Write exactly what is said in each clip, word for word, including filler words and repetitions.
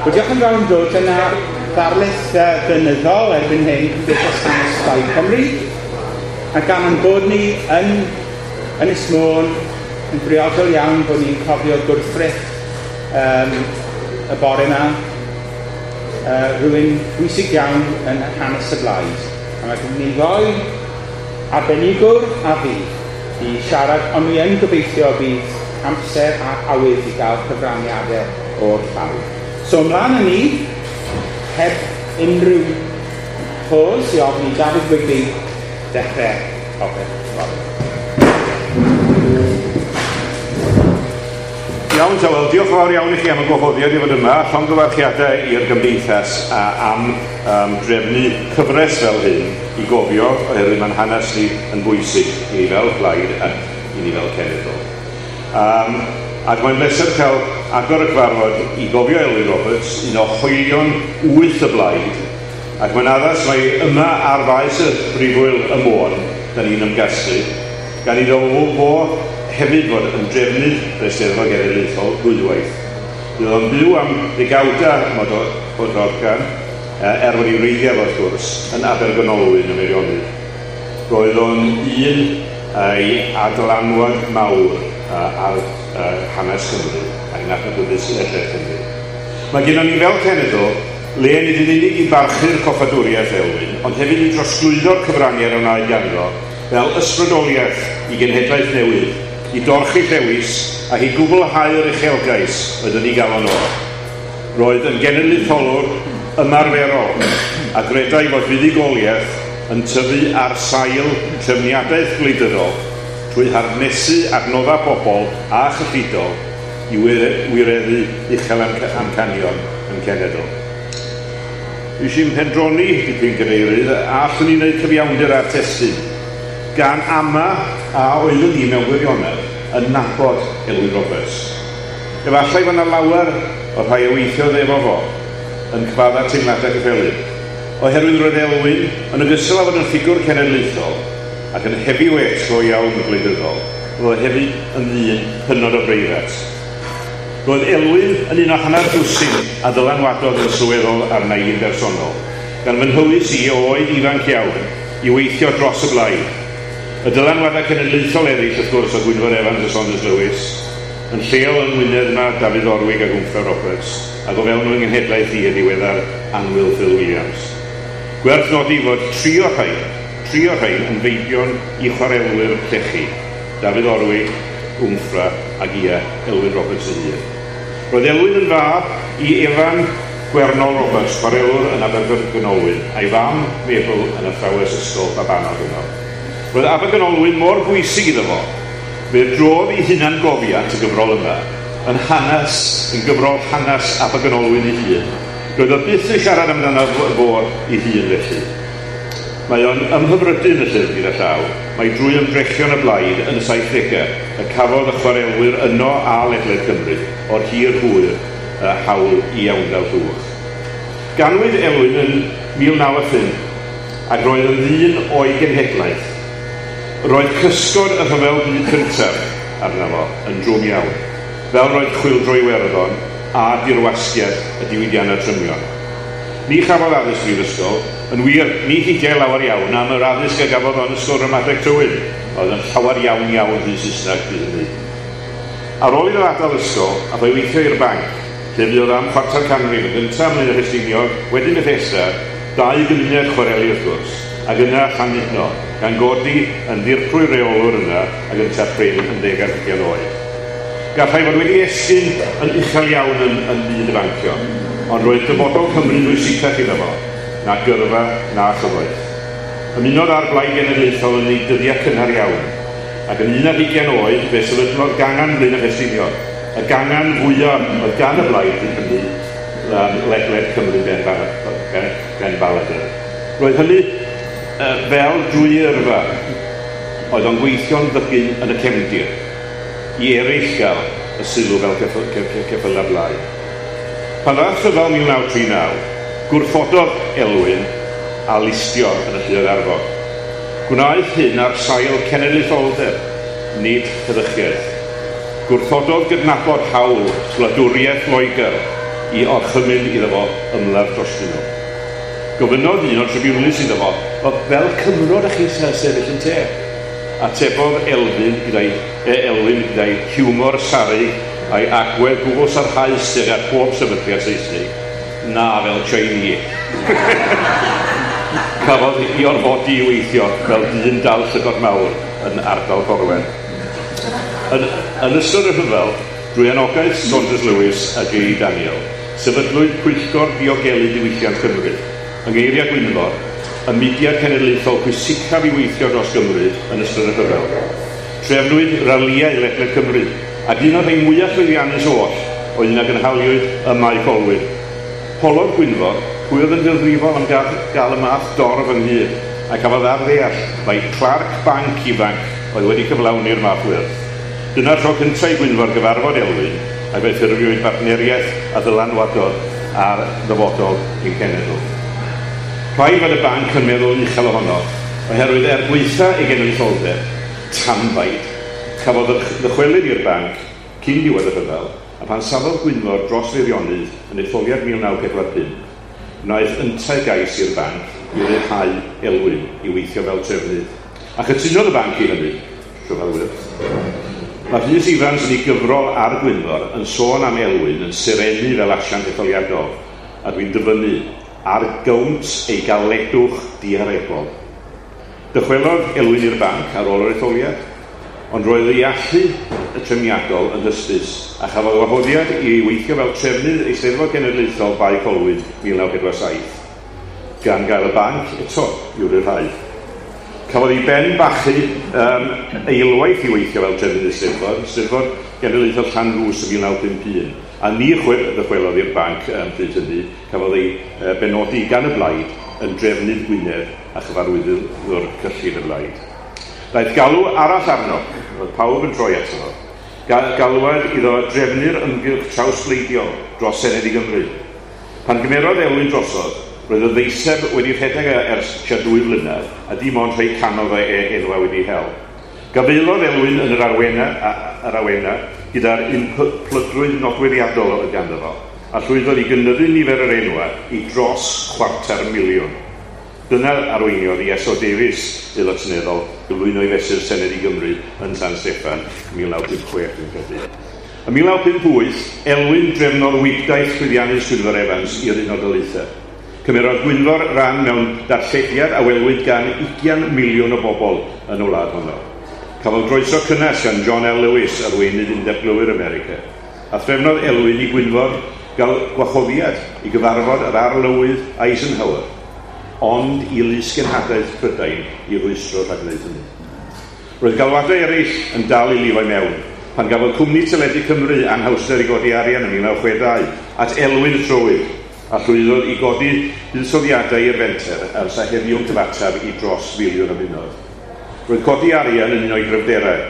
Wel, diolch yn fawr am dod. Dyna ddarlith uh, flynyddol erbyn hyn Cymdeithas Hanes Plaid Cymru. A gan ein bod ni yn Ynys Môn, yn briodol iawn bod ni'n cofio gwrthrych um, y bore yma, uh, rhywun bwysig iawn yn hanes y blaid. A mae gen ni ddoi arbenigwr a fi i siarad, ond mi yn gobeithio bydd amser a awydd i gael cyfraniadau o'r llawr. So ymlaen â ni, heb unrhyw pause, i ofyn i Dafydd Wigley dechrau popeth fory. Iawn, ta, wel, diolch yn fawr iawn i chi am y gwahoddiad i fod yma. Llongyfarchiadau i'r gymdeithas a, am um, drefnu cyfres fel hyn i gofio, oherwydd mae'n hanes ni yn bwysig i ni fel plaid ac i ni fel cenedl. Um, ac mae'n bleser cael agor y cyfarfod i gofio Elwyn Roberts, un o hoelion wyth y blaid, ac mae'n addas mai yma ar faes y brifwyl y Môn, da ni'n ymgasglu, gan iddo fo hefyd fod yn drefnydd yr Eisteddfod Genedlaethol ddwywaith. Bydd o'n byw am ddegawda Bodorgan, er fod ei wreiddiau wrth gwrs, yn Abergynolwyn ym Meirionnydd. Roedd o'n un ei adlanwad mawr ar hanes Cymru ac yn adnabyddus ledled Cymru. Mae gennym ni fel cenedl le nid yn unig i barchu'r coffadwriaeth Elwyn, ond hefyd i drosglwyddo'r cyfraniad a wnaed ganddo fel ysbrydoliaeth i genhedlaeth newydd, i dorchi llewis ac i gwblhau'r uchelgais oedd yn ei galon o. Roedd yn genedlaetholwr ymarferol a gredai fod fuddugoliaeth yn tyfu ar sail trefniadaeth gwleidyddol trwy harnesu adnoddau pobl a chyllidol i wireddu uchel amcanion yn cenedl. Eisiau'n pendroni dipyn cadeirydd, a allwn ni wneud cyfiawnder â'r testun, gan ama a oeddwn ni mewn gwirionedd yn nabod Elwyn Roberts. Efallai fod yna lawer o'r rhai a weithiodd efo fo yn cyfadda teimladau cyffelyb, oherwydd roedd Elwyn yn ogystal â fod yn ffigwr cenedlaethol ac yn heavyweight go iawn y gwleidyddol, roedd hefyd yn ddyn hynod o breifat. Roedd Elwyn yn un o hanner dwsin a ddylanwadodd yn sylweddol arna i'n bersonol, gan fy nhywys i o oed ifanc iawn i weithio dros y blaid. Y dylanwadau cenedlaethol eraill, wrth gwrs, o Gwynfor Evans a Saunders Lewis, yn lleol yng Ngwynedd yma Dafydd Orwig a Gwmffra Roberts, ac o fewn fy nghenhedlaeth i y diweddar annwyl Phil Williams. Gwerth nodi fod tri o'r rhain, tri o'r rhain yn feibion i chwarelwyr llechi, Dafydd Orwig, Gwmffra ac ia Elwyn Roberts ei hun. Roedd Elwyn yn fab i Evan Gwernol Roberts, chwarelwr yn Abergynolwyn, a'i fam Mabel yn athrawes ysgol babanod yno. Roedd Abergynolwyn mor bwysig iddo fo, fe drodd ei hunan gofiant y gyfrol yma yn hanes, yn gyfrol hanes Abergynolwyn ei hun. Roedd o byth yn siarad amdano fo ei hun felly. Mae o'n ymhyfrydu yn y llyfr gyda llaw. Mae drwy ymdrechion y blaid yn y saithdegau y cafodd y chwarelwyr yno a ledled Cymru o'r hir hwyr y hawl i iawndal llwch. Ganwyd Elwyn yn mil naw phump ac roedd yn ddyn o'i genhedlaeth. Roedd cysgod y rhyfel byd cyntaf arno fo yn drwm iawn, fel roedd chwyldro Iwerddon a dirwasgiad y diwydiannau trymion. Ni chafodd addysg brifysgol, yn wir, ni hidiau lawer iawn am yr addysg a gafodd o'n ysgol ramadeg Tywyn, oedd yn llawer iawn iawn rhy Saesneg bryd hynny. Ar ôl iddo adael ysgol, aeth o'i weithio i'r banc, lle fuodd am chwarter canrif, yn gyntaf ym Mlaenau Ffestiniog, wedyn Bethesda, dau gymuned chwareli wrth gwrs, ac yna Llandudno, gan godi yn ddirprwy reolwr yna ac yntaf prin yn ddeg ar hugain oed. Gallai fod wedi esgyn yn uchel iawn yn, yn byd y bancio, ond roedd dyfodol Cymru'n bwysicach iddo fo, na gyrfa na chyfoeth. Ymunodd â'r Blaid Genedlaethol yn ei dyddiau cynnar iawn, ac yn un ar hugain oed fe sefydlodd gangan Blaenau Ffestiniog, y gangan fwyaf oedd gan y blaid bryd hynny ledled Cymru ben, ben baladr. Roedd hynny fel drwy yrfa, oedd o'n gweithio'n ddygyn yn y cefndir, i eraill gael y sylw fel ceffylau blaid. Pan ddaeth rhyfel mil naw tri naw, gwrthododd Elwyn a listio yn y lluoedd arfog. Gwnaeth hyn ar sail cenedlaetholdeb, nid heddychiaeth. Gwrthododd gydnabod hawl gwladwriaeth Loegr i orchymyn iddo fo ymladd drostyn nhw. Gofynnodd un o'r tribiwnlys iddo fo, fel Cymro ydych chi'n sefyll yn te? Atebodd Elfyn gyda'i, e, Elwyn gyda'i hiwmor sarug a'i agwedd gwbl sarhaus tuag at pob sefydliad Saesnig, na fel Chinese. Cafodd ei orfodi i weithio fel dyn dal llygod mawr yn ardal Gorwen. Yn, yn ystod y rhyfel, drwy anogaeth Saunders Lewis a J E Daniel, sefydlwyd Pwyllgor Diogelu Diwylliant Cymru, yng ngeiriau Gwynfor, y mudiad cenedlaethol pwysicaf i weithio dros Gymru yn ystod y rhyfel. Trefnwyd ralïau ledled Cymru, ac un o'r rhai mwyaf llwyddiannus oll oedd un a gynhaliwyd ym Mae Colwyn. Holodd Gwynfor pwy oedd yn gyfrifol am gael, gael y math dorf ynghyd, a cafodd ar ddeall mai clerc banc ifanc oedd wedi cyflawni'r math wyrth. Dyna'r tro cyntaf i Gwynfor gyfarfod Elwyn, ac fe ffurfiwyd bartneriaeth a ddylanwadodd ar ddyfodol ein cenedl. Rhaid fod y banc yn meddwl uchel ohono, oherwydd er gwaetha ei genedlaetholdeb, tanbaid. Cafodd ddychwelyd i'r banc cyn diwedd y rhyfel, a pan safodd Gwynfor dros Feirionnydd yn etholiad mil naw pedwar pump, wnaeth yntau gais i'r banc i ryddhau Elwyn i weithio fel trefnydd. A chytunodd y banc i hynny, rhyfelwyr. Mae Rhys Ifans yn ei gyfrol ar Gwynfor yn sôn am Elwyn yn serennu fel asiant etholiadol, a dwi'n dyfynnu, ar gownt ei galedwch diarebol. Dychwelodd Elwyn i'r banc ar ôl yr etholiad, ond roedd ei allu y trefniadol yn hysbys, a chafodd wahoddiad i weithio fel trefnydd Eisteddfod Genedlaethol Bae Colwyn mil naw pedwar saith, gan gael y banc eto i'w ryddhau. Cafodd ei ben bachu um, eilwaith i weithio fel trefnydd Eisteddfod, Eisteddfod Genedlaethol Llanrwst yn mil naw pump un, a ni ddychwelodd i'r banc um, pryd hynny, cafodd ei uh, benodi gan y blaid yn drefnydd Gwynedd a chyfarwyddwr cyllid y blaid. Daeth galw arall arno, roedd pawb yn troi ato fo, galwad iddo drefnu'r ymgyrch trawsbleidiol dros Senedd i Gymru. Pan gymerodd Elwyn drosodd, roedd y ddeiseb wedi rhedeg ers tua dwy flynedd, a dim ond rhai canodd o enwau wedi hel. Gafaelodd Elwyn yn yr arwena, yr awena gyda'r unplygrwydd nodweddiadol oedd ganddo fo, a llwyddodd i gynyddu nifer yr enwau i dros chwarter miliwn. Dyna arweiniodd i S O Davies, aelod seneddol, gyflwyno i fesur Senedd i Gymru yn San Steffan mil naw pump chwech, dwi'n credu. Ym mil naw pump wyth, Elwyn drefnodd wibdaith llwyddiannus Gwynfor Evans i'r Unol Daleithiau. Cymerodd Gwynfor ran mewn darllediad a welwyd gan ugain miliwn o bobl yn y wlad honno. Cafodd groeso cynnes gan John L. Lewis, arweinydd Undeb Glowyr America, a threfnodd Elwyn i Gwynfor gael gwahoddiad i gyfarfod yr arlywydd Eisenhower, ond i lysgenhadaeth Prydain i rwystro rhag gwneud hynny. Roedd galwadau eraill yn dal i lifo i mewn, pan gafodd cwmni teledu Cymru anhawster i godi arian yn mil naw chwe dau at Elwyn trowyd, a llwyddodd i godi buddsoddiadau i'r fenter ers a heddiw'n cyfateb i dros filiwn o bunnoedd. Roedd codi arian yn un o'i gryfderau.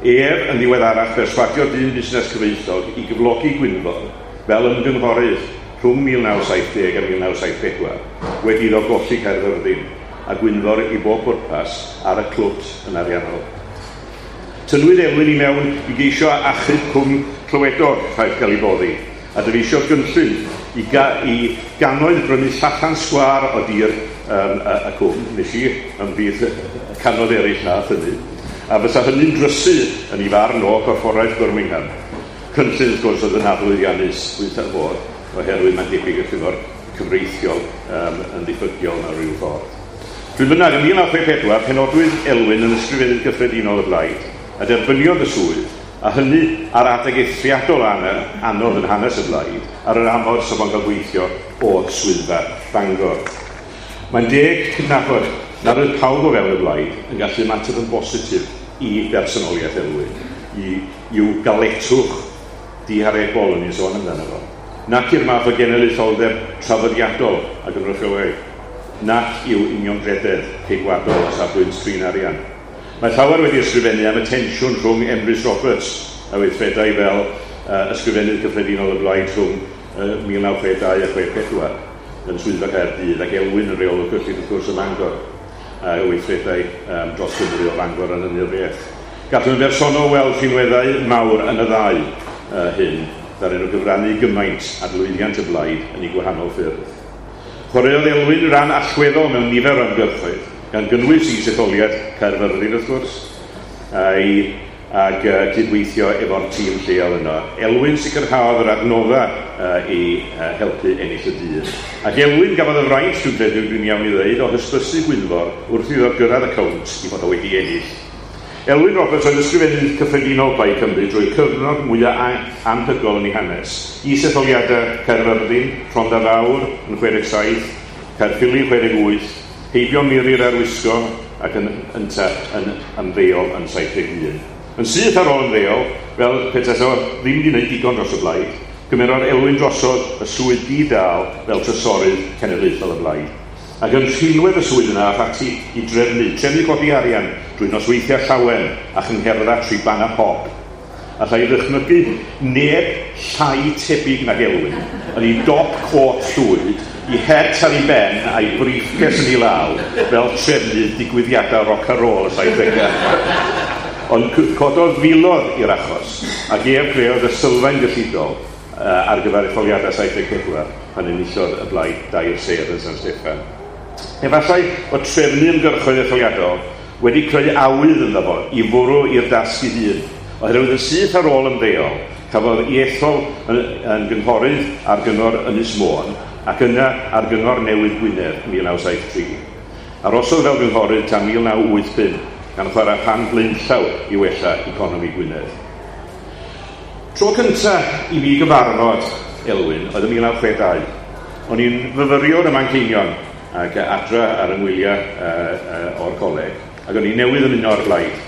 Ef yn ddiweddarach berswadio dyn busnes cyfoethog i gyflogi Gwynfor fel ymgynghorydd rhwng mil naw saith deg a mil naw saith pedwar, wedi iddo golli Caerfyrddin, a Gwynfor i bob pwrpas ar y clwt yn ariannol. Tynnwyd Elwyn i mewn i geisio achub cwm Clywedog rhaid gael ei boddi, a dyfeisio gynllun i, ga i gannoedd brynu llathan sgwâr o dir um, y, y cwm, nes i ymhlith y canoedd eraill nath hynny, a fysa hynny'n drysu yn ei farn o Gorfforaeth Birmingham. Cynllun, wrth gwrs, oedd yn aflwyddiannus, gwaetha'r modd, oherwydd mae'n debyg y cyngor cyfreithiol um, yn ddiffygiol mewn rhyw ffordd. Pryd bynnag, ym mil naw chwe pedwar, penodwyd Elwyn yn ysgrifennydd gyffredinol y blaid, a derbyniodd y swydd, a hynny ar adeg eithriadol anodd yn hanes y blaid, ar yr amod sef o'n cael gweithio o'r swyddfa Bangor. Mae'n deg cydnabod nad oedd pawb o fewn y blaid yn gallu ymateb yn bositif i bersonoliaeth Elwyn, i, i'w galetwch diharebol yn ei sôn amdano fo, nac i'r math o genedlaetholdeb traddodiadol a gynrychiolai, nac i'w uniongrededd ceidwadol o safbwynt trin arian. Mae llawer wedi ysgrifennu am y tensiwn rhwng Emrys Roberts a weithredai fel uh, ysgrifennydd cyffredinol y blaid rhwng uh, mil naw chwe dau a chwe pedwar yn swyddfa Caerdydd ac Elwyn yn reolwr cyllid wrth gwrs ym Mangor a weithredai um, dros Gymru o Fangor yn hynny'r beth. Gallwn yn bersonol weld rhinweddau mawr yn y ddau uh, hyn, ddaru nhw gyfrannu gymaint at lwyddiant y blaid yn ei gwahanol ffyrdd. Chwaraeodd Elwyn ran allweddol mewn nifer o ymgyrchoedd, gan gynnwys is-etholiad Caerfyrddin wrth gwrs, a'i ac uh, cydweithio efo'r tîm lleol yno. Elwyn sicrhaodd yr adnodda uh, i uh, helpu ennill y dydd. Ac Elwyn gafodd y fraint, dwi'n credu dwi'n iawn i ddweud, o hysbysu Gwynfor wrth iddo gyrraedd y cownt i fod o wedi ennill. Elwyn Roberts oedd ysgrifennydd cyffredinol Plaid Cymru drwy'r cyfnod mwyaf anhygoel yn ei hanes. Is-etholiadau Caerfyrddin, Rhondda Fawr yn chwe deg saith, Caerffili chwe deg wyth, heibio Miri'r Arwisgo ac yn ynta yn ymddeol yn saith deg un. Yn syth ar ôl ymddeol, fel petai o ddim wedi gwneud digon dros y blaid, gymerodd Elwyn drosodd y swydd di-dâl fel trysorydd cenedlaethol y blaid. Ac yn rhinwedd y swydd yna ath ati i drefnu, trefnu codi arian drwy nosweithiau llawen a chyngherddau triban a pop. Alla i ddychmygu neb llai tebyg nag Elwyn yn ei dop cot llwyd, i het ar ei ben a'i briefcase yn ei law fel trefnydd digwyddiadau rock and roll y saithdegau. Ond cododd filoedd i'r achos, ac ef creodd y sylfaen gyllidol uh, ar gyfer etholiadau saith deg pedwar pan enillodd y blaid dair sedd yn San Steffan. Efallai bod trefnu ymgyrchoedd etholiadol wedi creu awydd ynddo fo i fwrw i'r dasg ei hun, oherwydd yn syth ar ôl ymddeol cafodd ei ethol yn, yn gynghorydd ar gyngor Ynys Môn ac yna ar gyngor newydd Gwynedd mil naw saith tri. Arosodd fel gynghorydd tan mil naw wyth pump gan chwarae rhan blaenllaw i wella economi Gwynedd. Tro cyntaf i fi gyfarfod Elwyn oedd yn mil naw chwe dau. O'n i'n fyfyriwr ym Manceinion ac adra ar yngwyliau uh, uh, o'r coleg, ac o'n i newydd ymuno o'r blaid.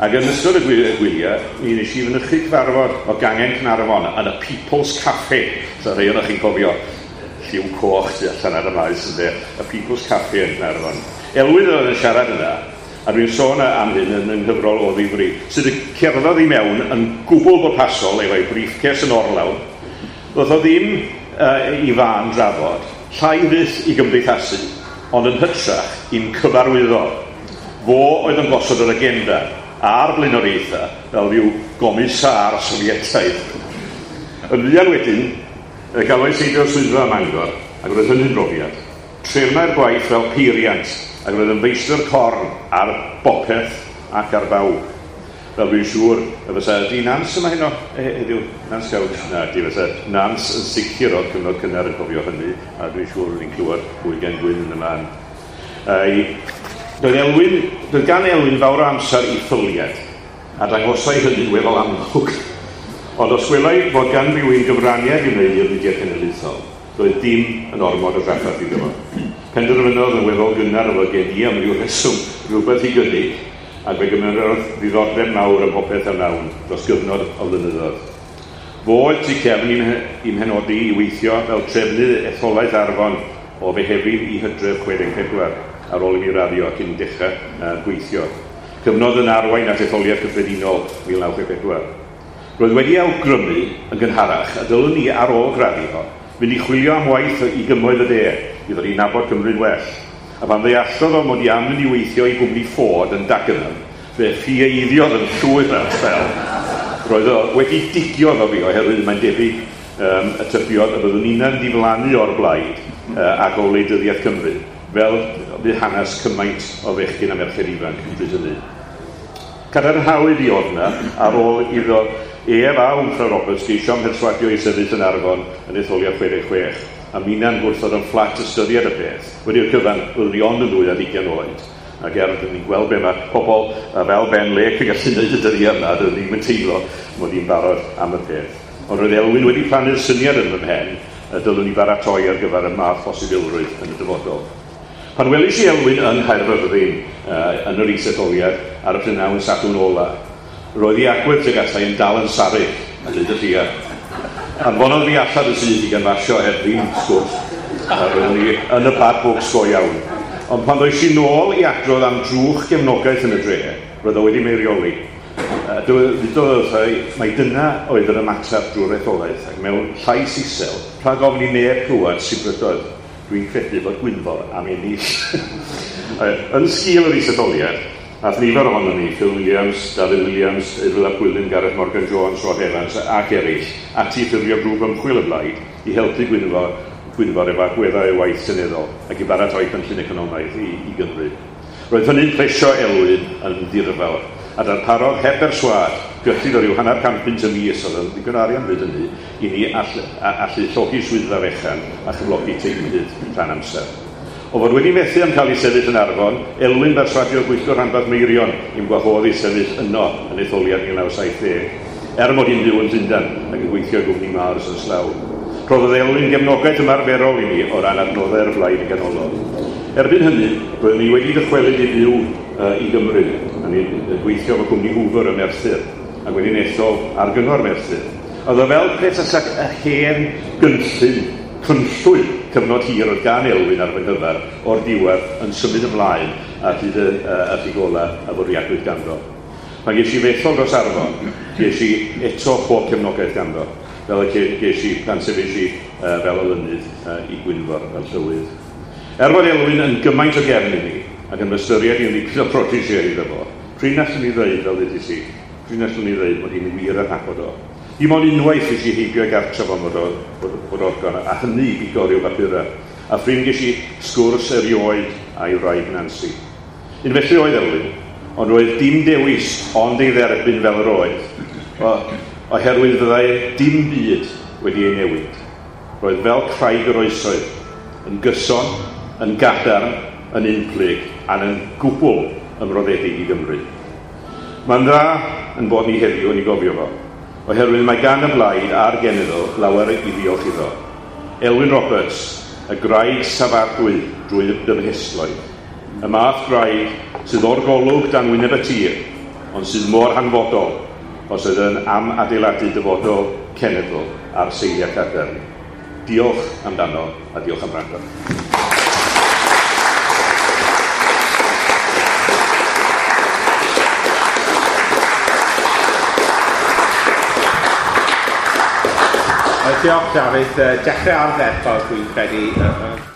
Ac yn ystod y gwyliau, mi nes i fynychu cyfarfod o gangen Caernarfon yn y People's Cafe. So rhai ohonoch chi'n cofio lliw coch tu allan ar y maes ynde, y People's Cafe yn Caernarfon. Elwyn oedd yn siarad yna, a dwi'n sôn am hyn yn ynghyfrol o ddifri, sydd yn cerddodd i mewn yn gwbl bwrpasol efo'i briefcase yn orlawn. Ddoth o ddim uh, i fan drafod, llai fyth i gymdeithasu, ond yn hytrach i'n cyfarwyddo. Fo oedd yn gosod yr agenda a'r blaenoriaethau fel rhyw gomisar Sofietaidd. Yn fuan wedyn, galwais heibio'r swyddfa ym Mangor, ac roedd hynny'n brofiad. Trefnai'r gwaith fel peiriant, ac roedd yn feistr corn ar bopeth ac ar bawb. Fel dwi'n siŵr, y fysa di Nans yma heno heddiw? Nans Couch? Na, di fysa Nans yn sicr o'r cyfnod cynnar yn cofio hynny, a dwi'n siŵr ni'n clywed fwy gen Gwyn yn y man. Doedd Elwyn, doedd gan Elwyn fawr o amser i ffyliad, a dangosai hynny'n weddol amlwg. Ond os gwelai fod gan rywun gyfraniad i wneud i'r mudiad cenedlaethol, doedd dim yn ormod o drafferth iddo fo. Penderfynodd yn weddol gynnar o fod gen i am ryw reswm rhywbeth i gynnig, ac fe gymerodd ddiddordeb mawr ym mhopeth a wnawn dros gyfnod o flynyddoedd. Fo oedd tu cefn i'm mhenodi i weithio fel trefnydd etholaeth Arfon o Fehefin i Hydref chwe deg pedwar ar ôl i mi raddio cyn dechrau uh, gweithio. Cyfnod yn arwain at etholiad cyffredinol mil naw chwe pedwar. Roedd wedi awgrymu yn gynharach a dylwn ni ar ôl graddio fynd i chwilio am waith i gymoedd y de i ddod i nabod Cymru'n well. A pan ddeallodd o mod i am mynd i weithio i gwmni Ford yn Dagenham, fe ffieidiodd yn llwyr am sbel. Roedd o wedi digio efo fi oherwydd mae'n debyg um, y tybiodd y byddwn ni'n diflannu o'r blaid uh, ac o wleidyddiaeth Cymru, fel bydd hanes cymaint o fechgyn a merched ifanc yn bryd hynny. Cadarnhawyd i oedd yna ar ôl iddo ef a Wmffra Roberts geisio ymherswadio i sefyll yn Arfon yn etholiad chwe deg chwech, a minnau'n gwrthod yn fflat ystyried y peth. Wedi'r cyfan, byddwn ni ond yn ddwy ar hugain oed. Ac er dyn ni'n gweld be mae pobl fel Ben Lake yn gallu gwneud y dyddiau yma, dyn ni'n mynd teimlo mod i'n barod am y peth. Ond roedd Elwyn wedi plannu'r syniad yn fy mhen, y dylwn i baratoi ar gyfer y math posibilrwydd yn y dyfodol. Pan welis i Elwyn yng Nghaerfyrddin uh, yn yr is-etholiad ar y prynhawn Sadwrn ola, roedd ei agwedd tuag ata i yn dal yn sarug, a dweud y llia. Anfonodd fi allan y sydd i ganfasio heb ddim sgwrs, a roeddwn i yn y bad books go iawn. Ond pan ddois i nôl i adrodd am drwch gefnogaeth yn y dre, roedd o wedi meirioli. Dywedodd wrtha i, mai dyna oedd yr ymateb drwy'r etholaeth, ac mewn llais isel, rhag ofn i neb clywed sibrydoedd, dwi'n credu bod Gwynfor am ennill. Yn sgil yr is-etholiad, Ath nifer ohonon ni, Phil Williams, David Williams, Eryl ap Gwilym, Gareth Morgan Jones, Rod Evans ac eraill, ati ffurfio grŵp ymchwil y blaid i helpu Gwynfor, Gwynfor efo agweddau ei waith seneddol ac i baratoi cynllun economaidd i, i Gymru. Roedd hynny'n plesio Elwyn yn ddirfawr, a darparodd heb berswâd gyllid o ryw hanner can punt y mis, oedd yn ddigon o arian bryd hynny, i ni all, a, allu llogi swyddfa fechan a chyflogi teimlydd rhan amser. O fod wedi methu am cael ei sefyll yn Arfon, Elwyn berswadiodd gweithgor rhanbarth Meirion i'm gwahodd i sefyll yno yn etholiad mil naw saith deg, er mod i'n byw yn Llundain ac yn gweithio i gwmni Mars yn Slough. Rhoddodd Elwyn gefnogaeth ymarferol i mi o ran adnoddau'r blaid yn ganolog. Erbyn hynny, roeddwn i wedi dychwelyd i fyw uh, i Gymru, a ni'n gweithio efo cwmni Hoover ym Merthyr, ac wedi'n ethol ar gyngor Merthyr. Oedd o fel peth y hen gynllun, cynllwy cyfnod hir oedd gan Elwyn ar fy nghyfer o'r diwedd yn symud ymlaen at hyd y, uh, y gola a fwriadwyd ganddo. Pan ges i fethol dros Arfon, ges i eto pob cefnogaeth ganddo, fel y ges i pan sefyll i uh, fel olynydd uh, i Gwynfor fel llywydd. Er fod Elwyn yn gymaint o gefn i mi, ac yn ystyried i'n dipyn o protégé iddo fo, prin allwn ni ddweud, fel ddeudais i, prin allwn ni ddweud bod hi'n wir yn nabod o. Dim ond unwaith nes i heibio i gartref am bod, bod, bod organ, a hynny i bigo ryw bapurau. A phrin ges i sgwrs erioed a'i wraig Nancy. Un felly oedd Elwyn, ond roedd dim dewis ond ei dderbyn fel yr oedd, o, oherwydd fyddai dim byd wedi ei newid. Roedd fel craig yr oesoedd, yn gyson, yn gadarn, yn unplyg, a'n yn gwbl ymroddedig i Gymru. Mae'n dda yn bod ni heddiw yn ei gofio fo, oherwydd mae gan y blaid a'r genedl lawer i ddiolch iddo. Elwyn Roberts, y graig safadwy drwy dymhesloedd. Y math graig sydd o'r golwg dan wyneb y tir, ond sydd mor hanfodol os oedd yn am adeiladu dyfodol cenedl ar seiliau cadarn. Diolch amdano a diolch am wrando. Diolch, Dafydd. Dechrau ardderchog, dwi'n credu.